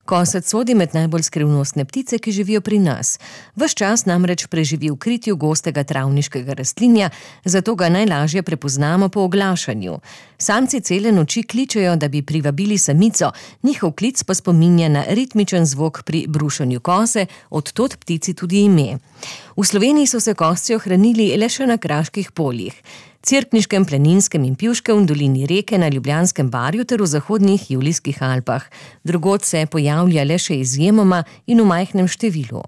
Kosec sodi med najbolj skrivnostne ptice, ki živijo pri nas. Ves čas namreč preživi v kritju gostega travniškega rastlinja, zato ga najlažje prepoznamo po oglašanju. Samci cele noči kličejo, da bi privabili samico, njihov klic pa spominja na ritmičen zvok pri brušenju kose, od tod ptici tudi ime. V Sloveniji so se kosci ohranili le še na kraških poljih. Cerkniškem, Planinskem in Pivškem, v dolini Reke, na Ljubljanskem barju ter v zahodnih Julijskih Alpah. Drugod se pojavlja le še izjemoma in v majhnem številu.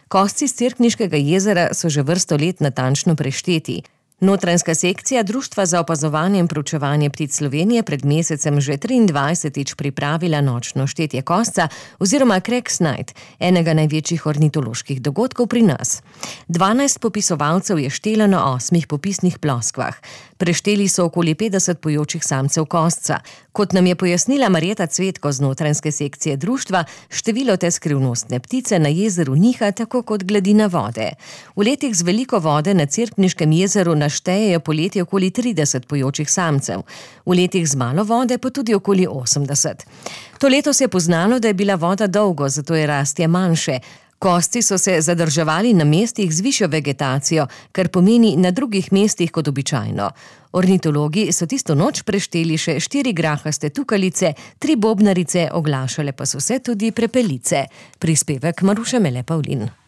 Kosci s Cerkniškega jezera so že vrsto let natančno prešteti. Notranjska sekcija Društva za opazovanje in proučevanje ptic Slovenije pred mesecem že 23. pripravila nočno štetje kosca oziroma Cracks Night, enega največjih ornitoloških dogodkov pri nas. 12 popisovalcev je štelo na 8 popisnih ploskvah. Prešteli so okoli 50 pojočih samcev kosca. Kot nam je pojasnila Marjeta Cvetko z notranjske sekcije društva, število te skrivnostne ptice na jezeru niha tako kot gladina vode. V letih z veliko vode na Cerkniškem jezeru naštejejo poleti okoli 30 pojočih samcev, v letih z malo vode pa tudi okoli 80. To leto se je poznalo, da je bila voda dolgo, zato je rastje manjše. Kosci so se zadrževali na mestih z višjo vegetacijo, kar pomeni na drugih mestih kot običajno. Ornitologi so tisto noč prešteli še 4 grahaste tukalice, 3 bobnarice, oglašale pa so se tudi prepelice. Prispevek Maruše Mele Pavlin.